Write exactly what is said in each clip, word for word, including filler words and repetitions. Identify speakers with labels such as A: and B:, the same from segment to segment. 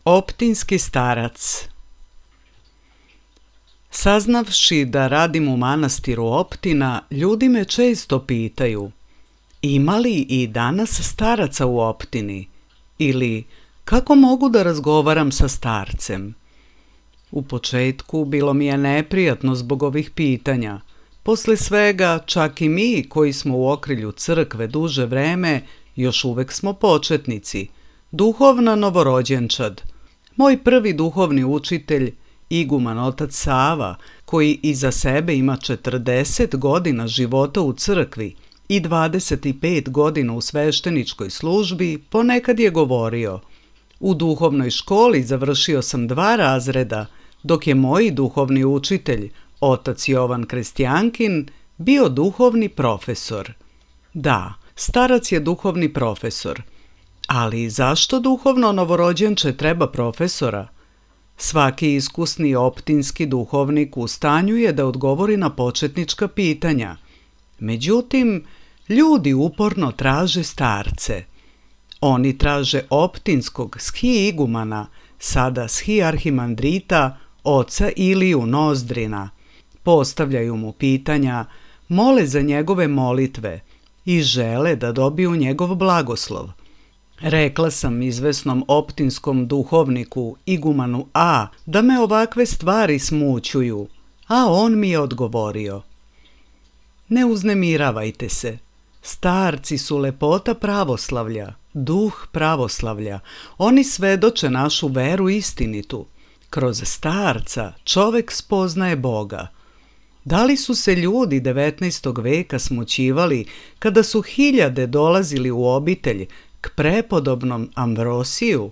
A: Optinski starac. Saznavši da radim u manastiru Optina, ljudi me često pitaju: ima li i danas staraca u Optini? Ili kako mogu da razgovaram sa starcem? U početku bilo mi je neprijatno zbog ovih pitanja. Posle svega, čak i mi koji smo u okrilju crkve duže vreme, još uvek smo početnici, duhovna novorođenčad. Moj prvi duhovni učitelj, iguman otac Sava, koji iza sebe ima četrdeset godina života u crkvi i dvadeset pet godina u svešteničkoj službi, ponekad je govorio: u duhovnoj školi završio sam dva razreda, dok je moj duhovni učitelj, otac Jovan Krestjankin, bio duhovni profesor. Da, starac je duhovni profesor. Ali zašto duhovno novorođenče treba profesora? Svaki iskusni optinski duhovnik u stanju je da odgovori na početnička pitanja. Međutim, ljudi uporno traže starce. Oni traže optinskog schi-igumana, sada schi-arhimandrita, oca Iliju Nozdrina. Postavljaju mu pitanja, mole za njegove molitve i žele da dobiju njegov blagoslov. Rekla sam izvesnom optinskom duhovniku, igumanu A, da me ovakve stvari smućuju, a on mi je odgovorio: ne uznemiravajte se, starci su lepota pravoslavlja, duh pravoslavlja, oni svedoče našu veru istinitu. Kroz starca čovek spoznaje Boga. Da li su se ljudi devetnaestog veka smućivali kada su hiljade dolazili u obitelj k prepodobnom Ambrosiju?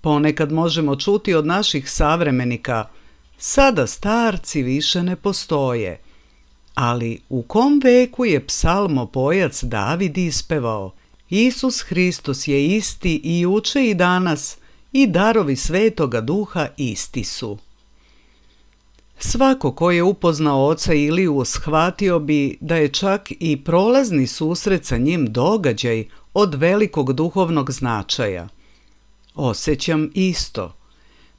A: Ponekad možemo čuti od naših savremenika: sada starci više ne postoje. Ali u kom veku je psalmopojac David ispevao: Isus Hristos je isti i juče i danas, i darovi Svetoga Duha isti su. Svako ko je upoznao oca Iliju shvatio bi da je čak i prolazni susret sa njim događaj od velikog duhovnog značaja. Osjećam isto.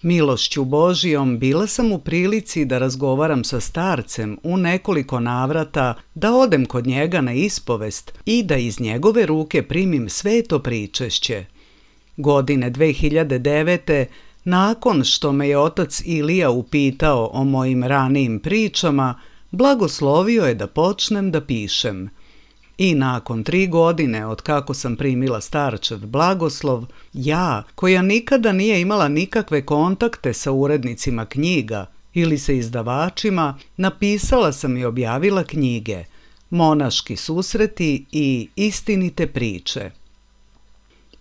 A: Milošću Božijom bila sam u prilici da razgovaram sa starcem u nekoliko navrata, da odem kod njega na ispovest i da iz njegove ruke primim sveto pričešće. Godine dve hiljade devete, nakon što me je otac Ilija upitao o mojim ranijim pričama, blagoslovio je da počnem da pišem. I nakon tri godine od kako sam primila starčev blagoslov, ja, koja nikada nije imala nikakve kontakte sa urednicima knjiga ili sa izdavačima, napisala sam i objavila knjige Monaški susreti i Istinite priče.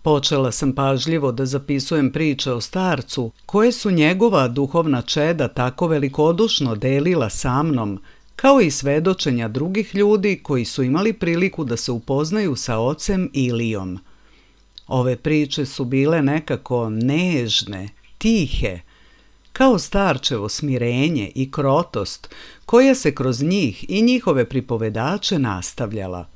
A: Počela sam pažljivo da zapisujem priče o starcu koje su njegova duhovna čeda tako velikodušno delila sa mnom, kao i svedočenja drugih ljudi koji su imali priliku da se upoznaju sa ocem Ilijom. Ove priče su bile nekako nežne, tihe, kao starčevo smirenje i krotost koja se kroz njih i njihove pripovedače nastavljala.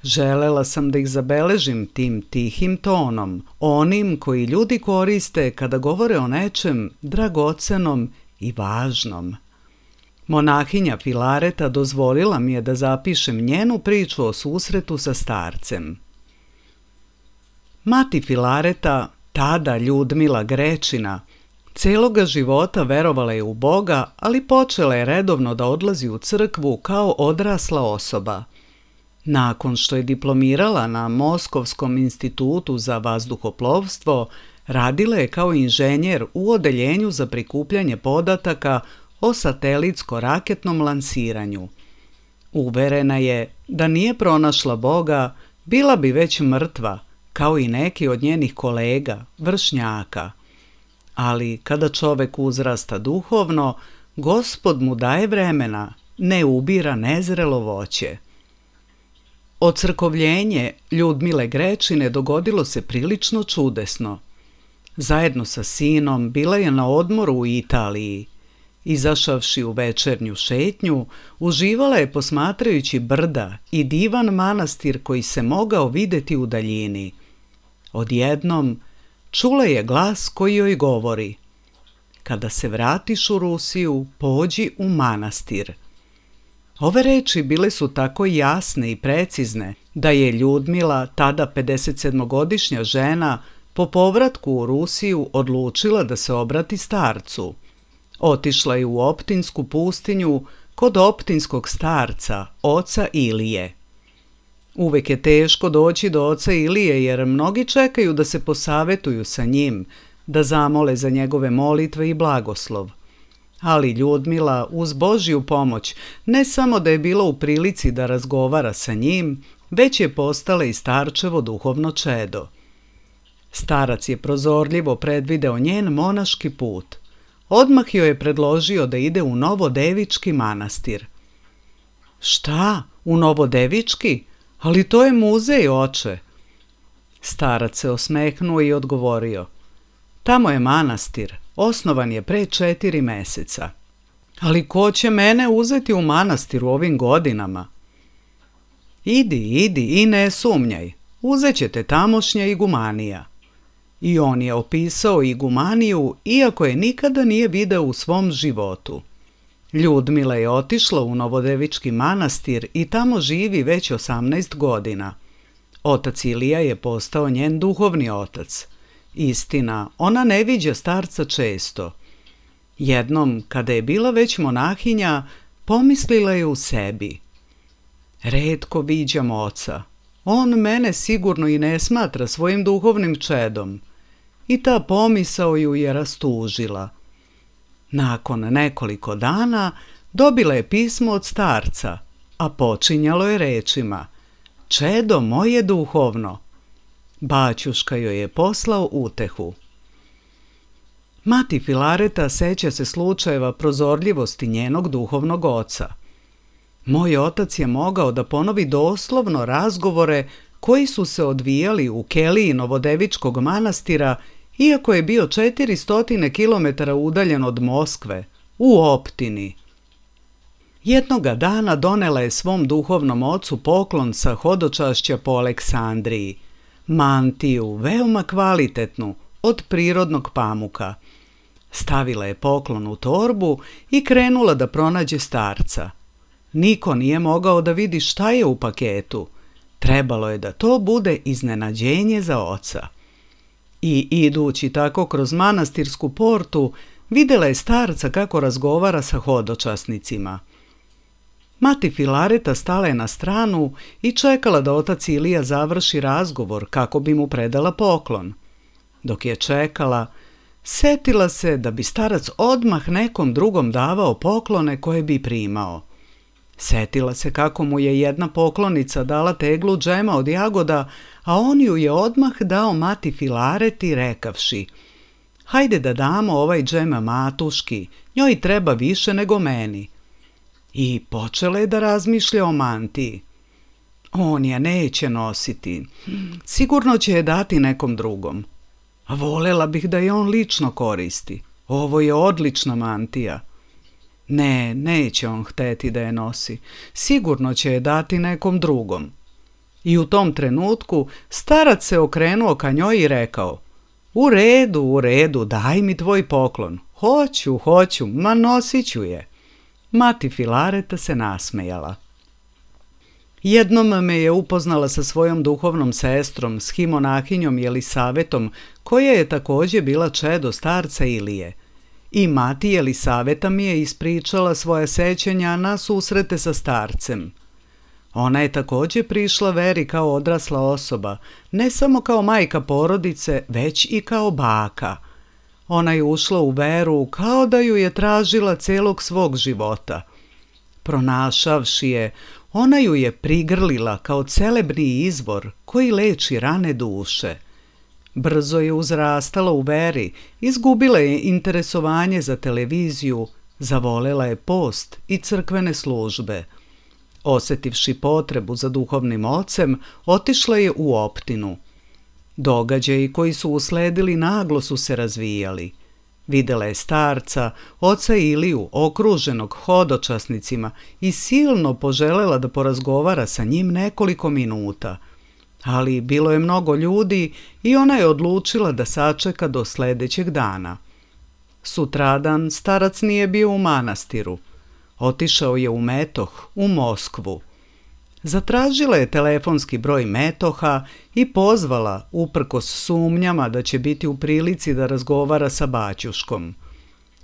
A: Želela sam da ih zabeležim tim tihim tonom, onim koji ljudi koriste kada govore o nečem dragocenom i važnom. Monahinja Filareta dozvolila mi je da zapišem njenu priču o susretu sa starcem. Mati Filareta, tada Ljudmila Grečina, celoga života verovala je u Boga, ali počela je redovno da odlazi u crkvu kao odrasla osoba. Nakon što je diplomirala na Moskovskom institutu za vazduhoplovstvo, radila je kao inženjer u odeljenju za prikupljanje podataka o satelitsko-raketnom lansiranju. Uverena je da nije pronašla Boga, bila bi već mrtva, kao i neki od njenih kolega, vršnjaka. Ali kada čovek uzrasta duhovno, Gospod mu daje vremena, ne ubira nezrelo voće. Ocrkovljenje Ljudmile Grečine dogodilo se prilično čudesno. Zajedno sa sinom bila je na odmoru u Italiji. Izašavši u večernju šetnju, uživala je posmatrajući brda i divan manastir koji se mogao videti u daljini. Odjednom, čula je glas koji joj govori: kada se vratiš u Rusiju, pođi u manastir. Ove reči bile su tako jasne i precizne da je Ljudmila, tada pedesetsedmogodišnja žena, po povratku u Rusiju odlučila da se obrati starcu. Otišla je u Optinsku pustinju kod optinskog starca, oca Ilije. Uvek je teško doći do oca Ilije jer mnogi čekaju da se posavetuju sa njim, da zamole za njegove molitve i blagoslov. Ali Ljudmila, uz Božju pomoć, ne samo da je bila u prilici da razgovara sa njim, već je postala i starčevo duhovno čedo. Starac je prozorljivo predvideo njen monaški put. Odmah joj je predložio da ide u Novodevički manastir. Šta, u Novodevički? Ali to je muzej, oče. Starac se osmehnuo i odgovorio: tamo je manastir, osnovan je pre četiri meseca. Ali ko će mene uzeti u manastir u ovim godinama? Idi, idi i ne sumnjaj, uzet će te tamošnja igumanija. I on je opisao igumaniju, iako je nikada nije video u svom životu. Ljudmila je otišla u Novodevički manastir i tamo živi već osamnaest godina. Otac Ilija je postao njen duhovni otac. Istina, ona ne viđa starca često. Jednom, kada je bila već monahinja, pomislila je u sebi: retko viđam oca. On mene sigurno i ne smatra svojim duhovnim čedom. I ta pomisao ju je rastužila. Nakon nekoliko dana dobila je pismo od starca, a počinjalo je rečima: čedo moje duhovno. Baćuška joj je poslao utehu. Mati Filareta seća se slučajeva prozorljivosti njenog duhovnog oca. Moj otac je mogao da ponovi doslovno razgovore koji su se odvijali u keliji Novodevičkog manastira, iako je bio četiristo kilometara udaljen od Moskve, u Optini. Jednoga dana donela je svom duhovnom ocu poklon sa hodočašća po Aleksandriji, mantiju, veoma kvalitetnu, od prirodnog pamuka. Stavila je poklon u torbu i krenula da pronađe starca. Niko nije mogao da vidi šta je u paketu. Trebalo je da to bude iznenađenje za oca. I idući tako kroz manastirsku portu, videla je starca kako razgovara sa hodočasnicima. Mati Filareta stala je na stranu i čekala da otac Ilija završi razgovor kako bi mu predala poklon. Dok je čekala, setila se da bi starac odmah nekom drugom davao poklone koje bi primao. Setila se kako mu je jedna poklonica dala teglu džema od jagoda, a on ju je odmah dao Mati Filareti rekavši: hajde da damo ovaj džem matuški, njoj treba više nego meni. I počela je da razmišlja o mantiji. On je neće nositi, sigurno će je dati nekom drugom. A volela bih da je on lično koristi, ovo je odlična mantija. Ne, neće on hteti da je nosi, sigurno će je dati nekom drugom. I u tom trenutku starac se okrenuo ka njoj i rekao: u redu, u redu, daj mi tvoj poklon. Hoću, hoću, ma nosit ću je. Mati Filareta se nasmejala. Jednom me je upoznala sa svojom duhovnom sestrom, schimonahinjom Jelisavetom, koja je također bila čedo starca Ilije. I mati Jelisaveta mi je ispričala svoja sećanja na susrete sa starcem. Ona je također prišla veri kao odrasla osoba, ne samo kao majka porodice, već i kao baka. Ona je ušla u veru kao da ju je tražila celog svog života. Pronašavši je, ona ju je prigrlila kao celebni izvor koji leči rane duše. Brzo je uzrastala u veri, izgubila je interesovanje za televiziju, zavolela je post i crkvene službe. Osetivši potrebu za duhovnim ocem, otišla je u Optinu. Događaji koji su usledili naglo su se razvijali. Videla je starca, oca Iliju, okruženog hodočasnicima, i silno poželela da porazgovara sa njim nekoliko minuta. Ali bilo je mnogo ljudi i ona je odlučila da sačeka do sljedećeg dana. Sutradan starac nije bio u manastiru. Otišao je u Metoh, u Moskvu. Zatražila je telefonski broj Metoha i pozvala, uprkos sumnjama da će biti u prilici da razgovara sa baćuškom.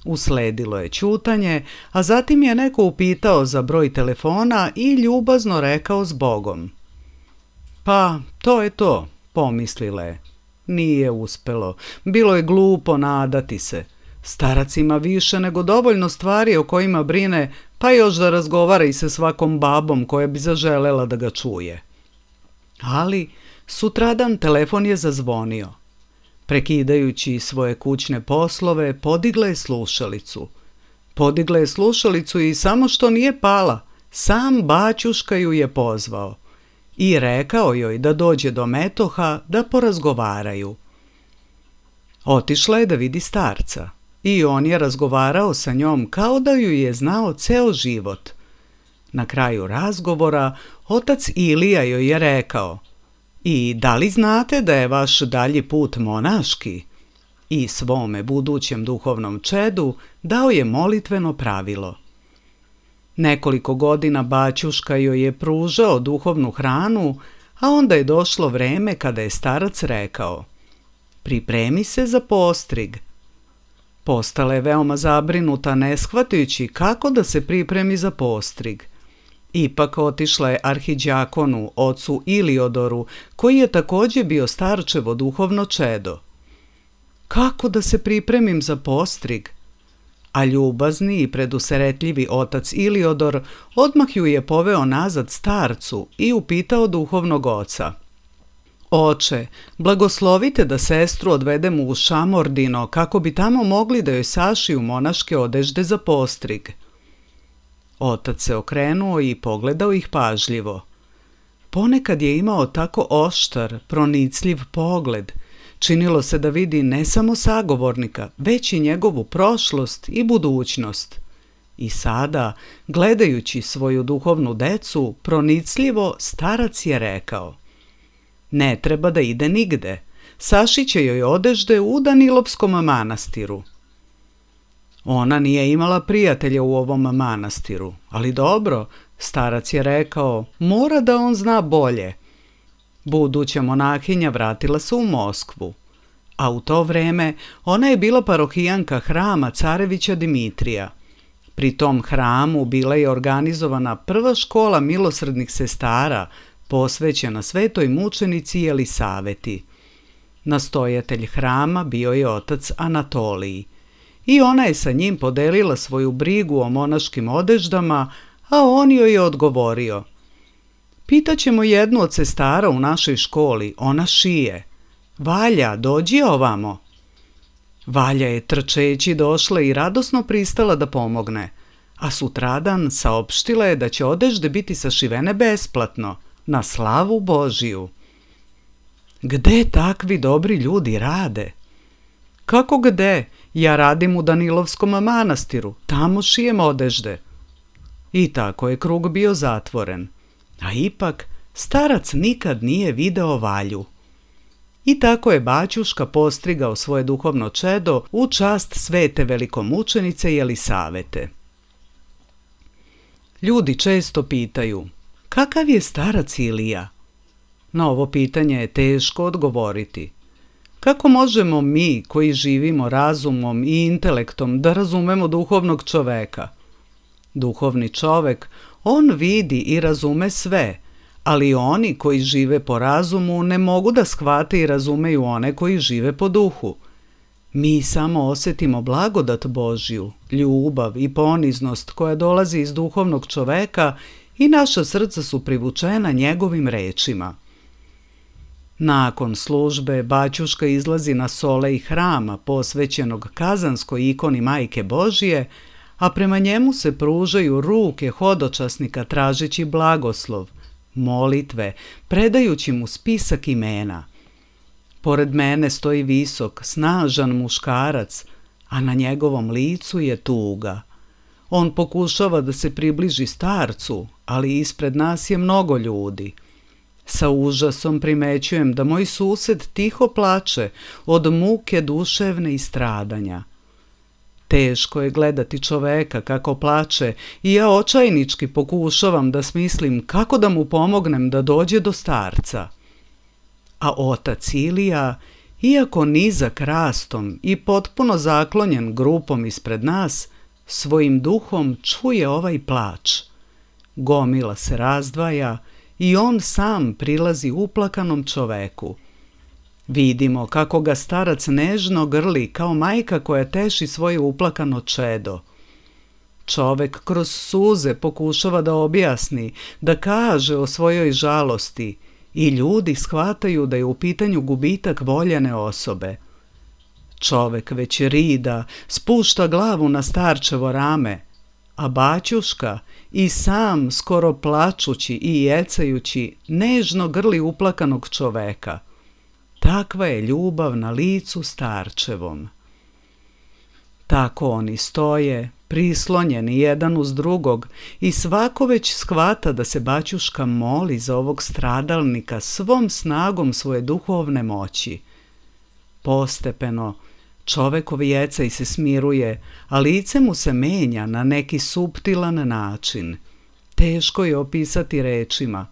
A: Usledilo je ćutanje, a zatim je neko upitao za broj telefona i ljubazno rekao zbogom. Pa, to je to, pomislila je. Nije uspelo, bilo je glupo nadati se. Starac ima više nego dovoljno stvari o kojima brine, pa još da razgovara i sa svakom babom koja bi zaželela da ga čuje. Ali sutradan telefon je zazvonio. Prekidajući svoje kućne poslove, podigla je slušalicu. Podigla je slušalicu i samo što nije pala, sam baćuška ju je pozvao i rekao joj da dođe do Metoha da porazgovaraju. Otišla je da vidi starca i on je razgovarao sa njom kao da ju je znao ceo život. Na kraju razgovora otac Ilija joj je rekao: I da li znate da je vaš dalji put monaški? I svome budućem duhovnom čedu dao je molitveno pravilo. Nekoliko godina baćuška joj je pružao duhovnu hranu, a onda je došlo vreme kada je starac rekao: Pripremi se za postrig. Postala je veoma zabrinuta, ne shvatajući kako da se pripremi za postrig. Ipak otišla je arhidjakonu, ocu Iliodoru, koji je također bio starčevo duhovno čedo. Kako da se pripremim za postrig? A ljubazni i preduseretljivi otac Iliodor odmah ju je poveo nazad starcu i upitao duhovnog oca: Oče, blagoslovite da sestru odvedemo u Šamordino kako bi tamo mogli da joj sašiju monaške odežde za postrig. Otac se okrenuo i pogledao ih pažljivo. Ponekad je imao tako oštar, pronicljiv pogled. Činilo se da vidi ne samo sagovornika, već i njegovu prošlost i budućnost. I sada, gledajući svoju duhovnu decu, pronicljivo starac je rekao: Ne treba da ide nigde, sašiće joj odežde u Danilovskom manastiru. Ona nije imala prijatelja u ovom manastiru, ali dobro, starac je rekao, mora da on zna bolje. Buduća monahinja vratila se u Moskvu, a u to vreme ona je bila parohijanka hrama carevića Dimitrija. Pri tom hramu bila je organizovana prva škola milosrdnih sestara, posvećena svetoj mučenici Jelisaveti. Nastojatelj hrama bio je otac Anatolij i ona je sa njim podelila svoju brigu o monaškim odeždama, a on joj je odgovorio: Pitaćemo jednu od sestara u našoj školi, ona šije. Valja, dođi ovamo. Valja je trčeći došla i radosno pristala da pomogne, a sutradan saopštila je da će odežde biti sašivene besplatno, na slavu Božiju. Gde takvi dobri ljudi rade? Kako gde? Ja radim u Danilovskom manastiru, tamo šijem odežde. I tako je krug bio zatvoren. A ipak, starac nikad nije video Valju. I tako je baćuška postrigao svoje duhovno čedo u čast svete velikomučenice Jelisavete. Ljudi često pitaju: kakav je starac Ilija? Na ovo pitanje je teško odgovoriti. Kako možemo mi, koji živimo razumom i intelektom, da razumemo duhovnog čoveka? Duhovni čovek, on vidi i razume sve, ali oni koji žive po razumu ne mogu da shvate i razumeju one koji žive po duhu. Mi samo osjetimo blagodat Božju, ljubav i poniznost koja dolazi iz duhovnog čoveka i naša srca su privučena njegovim rečima. Nakon službe baćuška izlazi na solej hrama posvećenog Kazanskoj ikoni Majke Božije, a prema njemu se pružaju ruke hodočasnika tražeći blagoslov, molitve, predajući mu spisak imena. Pored mene stoji visok, snažan muškarac, a na njegovom licu je tuga. On pokušava da se približi starcu, ali ispred nas je mnogo ljudi. Sa užasom primećujem da moj sused tiho plače od muke duševne i stradanja. Teško je gledati čoveka kako plače i ja očajnički pokušavam da smislim kako da mu pomognem da dođe do starca. A otac Ilija, iako nizak rastom i potpuno zaklonjen grupom ispred nas, svojim duhom čuje ovaj plač. Gomila se razdvaja i on sam prilazi uplakanom čoveku. Vidimo kako ga starac nežno grli kao majka koja teši svoje uplakano čedo. Čovek kroz suze pokušava da objasni, da kaže o svojoj žalosti i ljudi shvataju da je u pitanju gubitak voljene osobe. Čovek već rida, spušta glavu na starčevo rame, a baćuška i sam skoro plačući i jecajući nežno grli uplakanog čoveka. Takva je ljubav na licu starčevom. Tako oni stoje, prislonjeni jedan uz drugog i svako već shvata da se baćuška moli za ovog stradalnika svom snagom svoje duhovne moći. Postepeno, čovekov jecaj se smiruje, a lice mu se menja na neki suptilan način. Teško je opisati rečima.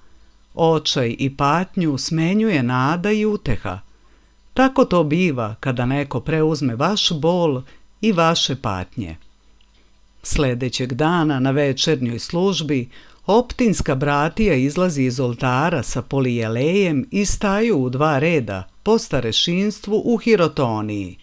A: Očaj i patnju smenjuje nada i uteha. Tako to biva kada neko preuzme vaš bol i vaše patnje. Sledećeg dana na večernjoj službi optinska bratija izlazi iz oltara sa polijelejem i staju u dva reda po starešinstvu u hirotoniji.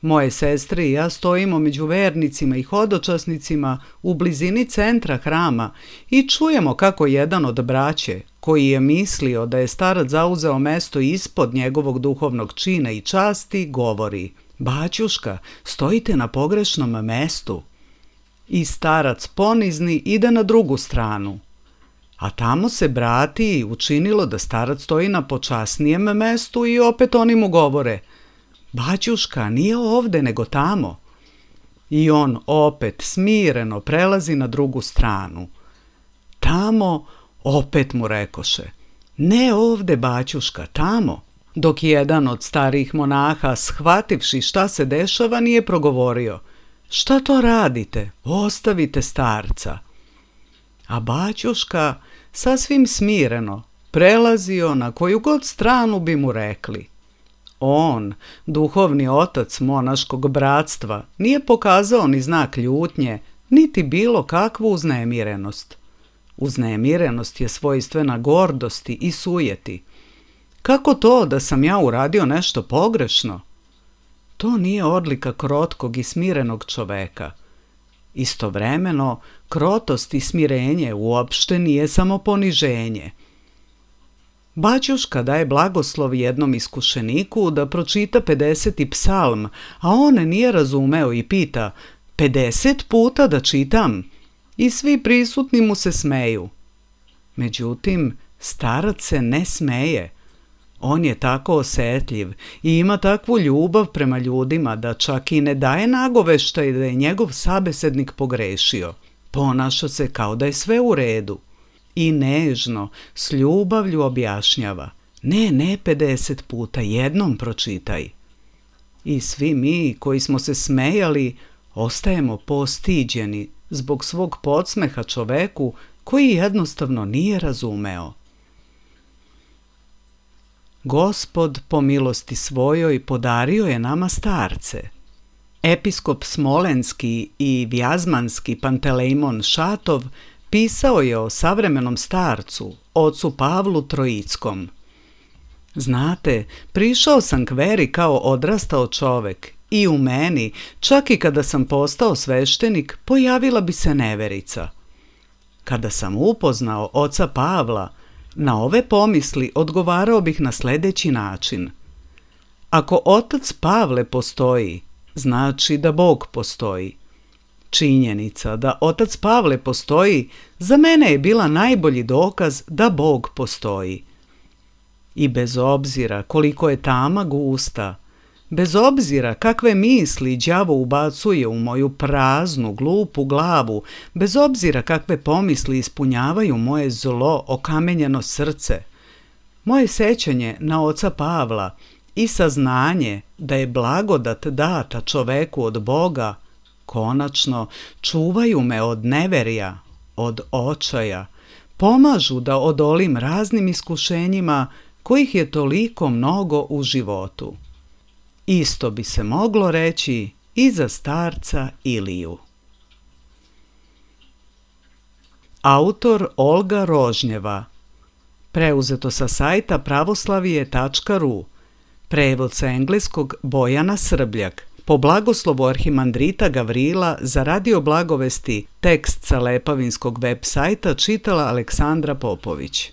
A: Moje sestre i ja stojimo među vernicima i hodočasnicima u blizini centra hrama i čujemo kako jedan od braće, koji je mislio da je starac zauzeo mesto ispod njegovog duhovnog čina i časti, govori: "Baćuška, stojite na pogrešnom mestu." I starac ponizni ide na drugu stranu. A tamo se bratiji učinilo da starac stoji na počasnijem mestu i opet oni mu govore: "Baćuška, nije ovde nego tamo." I on opet smireno prelazi na drugu stranu. Tamo opet mu rekoše: "Ne ovde, baćuška, tamo." Dok jedan od starih monaha, shvativši šta se dešava, nije progovorio: "Šta to radite? Ostavite starca." A baćuška, sasvim smireno, prelazio na koju god stranu bi mu rekli. On, duhovni otac monaškog bratstva, nije pokazao ni znak ljutnje, niti bilo kakvu uznemirenost. Uznemirenost je svojstvena gordosti i sujeti. Kako to da sam ja uradio nešto pogrešno? To nije odlika krotkog i smirenog čoveka. Istovremeno, krotost i smirenje uopšte nije samo poniženje. Baćuška daje blagoslov jednom iskušeniku da pročita pedeseti psalm, a on nije razumeo i pita: pedeset puta da čitam? I svi prisutni mu se smeju. Međutim, starac se ne smeje. On je tako osetljiv i ima takvu ljubav prema ljudima da čak i ne daje nagoveštaj da je njegov sabesednik pogrešio. Ponaša se kao da je sve u redu. I nežno, s ljubavlju objašnjava: "Ne, ne pedeset puta, jednom pročitaj." I svi mi koji smo se smejali ostajemo postiđeni zbog svog podsmeha čoveku koji jednostavno nije razumeo. Gospod po milosti svojoj podario je nama starce. Episkop Smolenski i Vjazmanski Pantelejmon Šatov pisao je o savremenom starcu, ocu Pavlu Trojickom. Znate, prišao sam k veri kao odrastao čovek i u meni, čak i kada sam postao sveštenik, pojavila bi se neverica. Kada sam upoznao oca Pavla, na ove pomisli odgovarao bih na sledeći način. Ako otac Pavle postoji, znači da Bog postoji. Činjenica da otac Pavle postoji za mene je bila najbolji dokaz da Bog postoji. I bez obzira koliko je tama gusta, bez obzira kakve misli đavo ubacuje u moju praznu, glupu glavu, bez obzira kakve pomisli ispunjavaju moje zlo, okamenjeno srce, Moje sećanje na oca Pavla i saznanje da je blagodat data čoveku od Boga konačno čuvaju me od neverja, od očaja, pomažu da odolim raznim iskušenjima kojih je toliko mnogo u životu. Isto bi se moglo reći i za starca Iliju. Autor Olga Rožnjeva. Preuzeto sa sajta pravoslavije tačka ru. Prevod sa engleskog Bojana Srbljak. Po blagoslovu arhimandrita Gavrila za Radio Blagovesti tekst sa Lepavinskog web sajta čitala Aleksandra Popović.